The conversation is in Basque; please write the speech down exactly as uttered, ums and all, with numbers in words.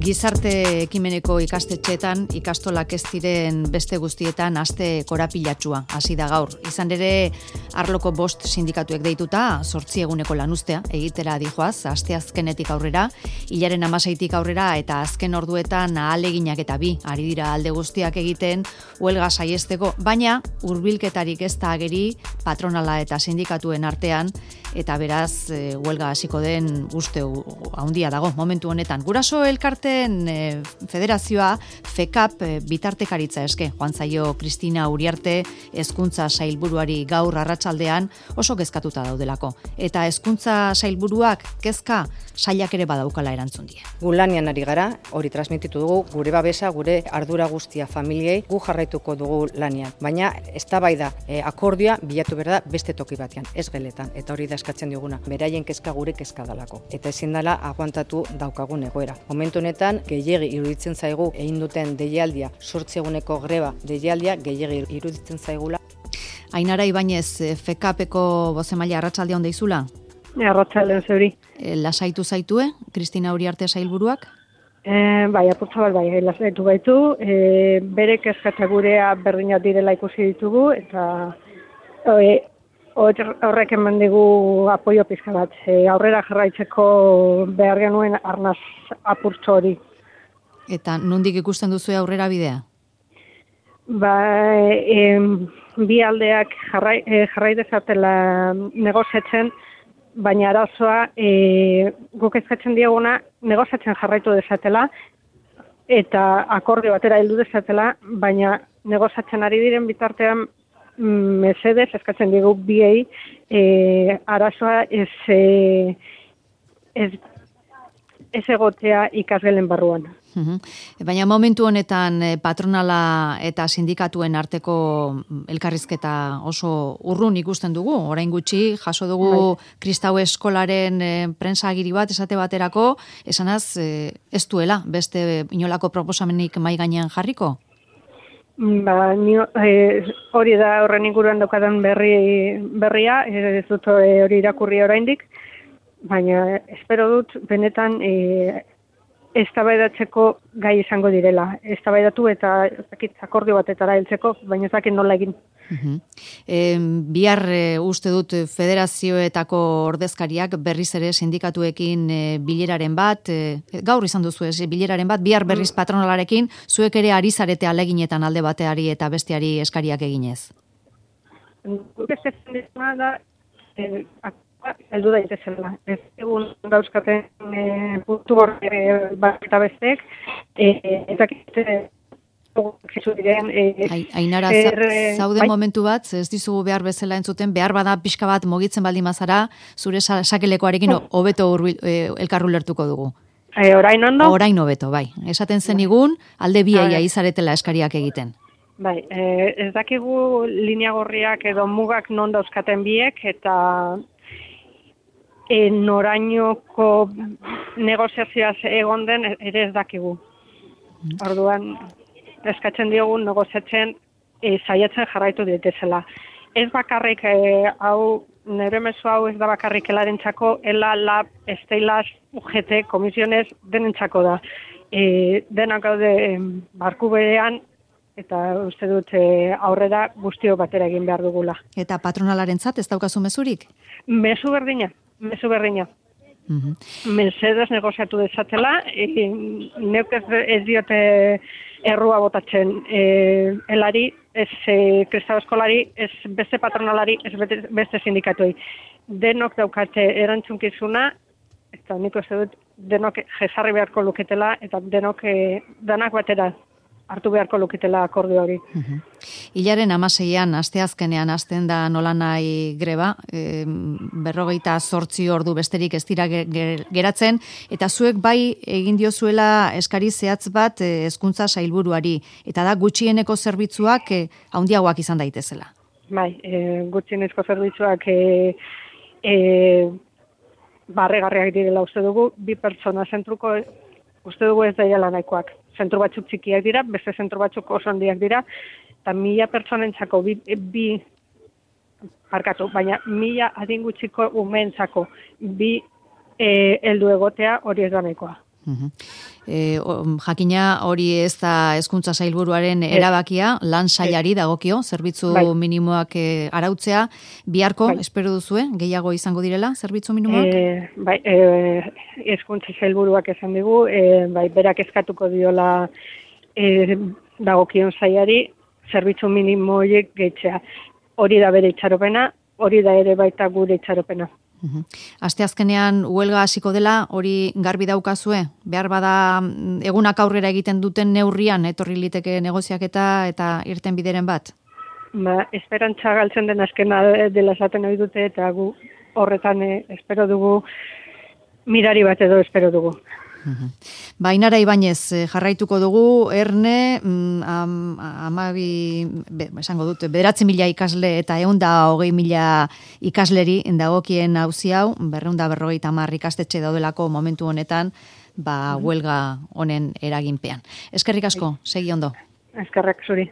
Gizarte ekimeneko ikastetxeetan ikastolak ez diren beste guztietan aste korapilatsua hasi da gaur. Izan ere, arloko bost sindikatuek deituta, zortzi eguneko lanuztea egitera dijoaz, asteazkenetik aurrera, hilaren hamaseitik aurrera eta azken orduetan ahaleginak eta bi ari dira alde guztiak egiten huelga saiesteko, baina hurbilketarik ez da ageri patronala eta sindikatuen artean, eta beraz e, huelga hasiko den uste handia dago momentu honetan. Guraso elkarteen e, federazioa FECAP e, bitartekaritza eske joan zaio Kristina Uriarte hezkuntza sailburuari gaur arratsaldean oso kezkatuta daudelako. Eta hezkuntza sailburuak kezka sailak ere badaukala erantzun die. Gu lanian ari gara, hori transmititu dugu, gure babesa, gure ardura guztia familiei, gu jarraituko dugu lanian. Baina eztabaida e, akordioa bilatu behar da beste toki batean, ez geletan, eta hori da eskatzen diguna. Beraien kezka gure kezka dalako. Eta ezin dela aguantatu daukagun egoera. Momentu honetan, gehiegi iruditzen zaigu egin duten deialdia, zortzi eguneko greba deialdia, gehiegi iruditzen zaigula. Ainara Ibañez, FECAPeko bozemaila arratsalde on deizula? Arratsaldeon zeuri. E, lasaitu zaitue, Kristina Uriarte sailburuak? E, bai, apurtza bat bai, lasaitu gaitu. E, bere kezkatza gurea berdinak direla ikusi ditugu, eta e, horrek eman digu apoio pizka bat. E, aurrera jarraitzeko behar genuen arnaz apurtxo hori. Eta nondik ikusten duzu aurrera bidea? Ba, e, bi aldeak jarrai, e, jarrai dezatela negoziatzen, baina arazoa e, guk eskatzen dieguna negoziatzen jarraitu dezatela eta akordio batera heldu dezatela, baina negoziatzen ari diren bitartean mesedez eskatzen diegu biei e, arazoa ez, e, ez, ez egotea ikasgelen barruan. Uhum. Baina momentu honetan patronala eta sindikatuen arteko elkarrizketa oso urrun ikusten dugu. Orain gutxi jaso dugu bai. Kristau eskolaren e, prentsagiri bat esate baterako, esanaz e, ez duela beste inolako proposamenik mai gainean jarriko? Ba, nio, e, hori da horren inguruan daukadan berri, berria, ez dut hori irakurri oraindik, baina espero dut benetan e, eztabaidatzeko gai izango direla. Eztabaidatu eta zakit, akordio batetara heltzeko, baina ez dakit nola egin. Uh-huh. E, bihar e, uste dut federazioetako ordezkariak berriz ere sindikatuekin e, bileraren bat, e, gaur izan duzu ez, bileraren bat, bihar berriz patronalarekin, zuek ere ari zarete aleginetan alde bateari eta besteari eskariak eginez. Beste zenditzuna da, e, heldu daitezela. Ez egun dauzkaten e, puntu gorri e, bat eta bestek, e, eta kite diren, e, Ainara, er, zaude bai? Momentu bat, ez dizugu behar bezala entzuten, behar bada pixka bat mugitzen baldin mazara, zure sakelekoarekin hobeto e, elkarru lertuko dugu. E, orain ondo? Orain hobeto, bai. Esaten zenigun, alde biaia izaretela eskariak egiten. Bai, e, ez dakigu linea gorriak edo mugak non dauzkaten biek, eta E, norainoko negoziazioaz egon den ere ez dakigu. Orduan, eskatzen diogu negoziatzen e, saiatzen jarraitu ditezela. Ez bakarrik, e, hau, nire mezu hau ez da bakarrik elarentzako, ela, lab, esteilaz, U G T, komisionez, denentzako da. E, denak gaude barku berean, eta uste dut e, aurrera guztio batera egin behar dugula. Eta patronalarentzat ez daukazu mezurik? Mezu berdina. Mezu berdina. Uh-huh. Mercedes negoziatu dezatela, e, neuk ez, ez diote errua botatzen e, elari, ez e, Kristau eskolari, ez beste patronalari, ez beste sindikatuei. Denok daukate erantzunkizuna, eta nik uste dut denok jesarri beharko luketela, eta denok e, danak batera hartu beharko luketela akordio hori. Uh-huh. Hilaren hamaseian, asteazkenean hasten da nolanai greba, e, berrogeita zortzi ordu besterik ez dira geratzen, eta zuek bai egin diozuela eskari zehatz bat hezkuntza sailburuari, eta da gutxieneko zerbitzuak e, handiagoak izan daitezela. Bai, e, gutxienezko zerbitzuak e, e, barregarriak direla uste dugu, bi pertsona zentruko uste dugu ez daiala nahikoak. Zentru batzuk txikiak dira, beste zentru batzuk oso handiak dira, eta mila pertsonentzako bi, bi parkatu, baina mila adingutxiko umeentzako bi e, heldu egotea hori ez da nahikoa. E, jakina hori ez da hezkuntza sailburuaren erabakia, lan sailari dagokio, zerbitzu bai. minimoak e, arautzea, biharko, bai. espero duzue, gehiago izango direla, zerbitzu minimoak? E, bai, e, hezkuntza sailburuak esan digu, e, bai, berak eskatuko diola e, dagokion sailari, zerbitzu minimoiek gehitzea. Hori da bere itxaropena, hori da ere baita gure itxaropena. Uhum. Aste azkenean huelga hasiko dela, hori garbi daukazue? Behar bada egunak aurrera egiten duten neurrian, etorri liteke negoziaketa eta irten bideren bat? Ba, esperantza galtzen den azkena dela esaten ohi dute, eta gu horretan eh, espero dugu, mirari bat edo espero dugu. Uhum. Bainara Ibañez jarraituko dugu, erne, am, amabi, be, esango dut, bederatzi mila ikasle eta eunda hogei mila ikasleri dagokien auzi hau, berreunda berrogeita hamar ikastetxe daudelako momentu honetan, ba, huelga honen eraginpean. Eskerrik asko, segi ondo. Eskerrak zuri.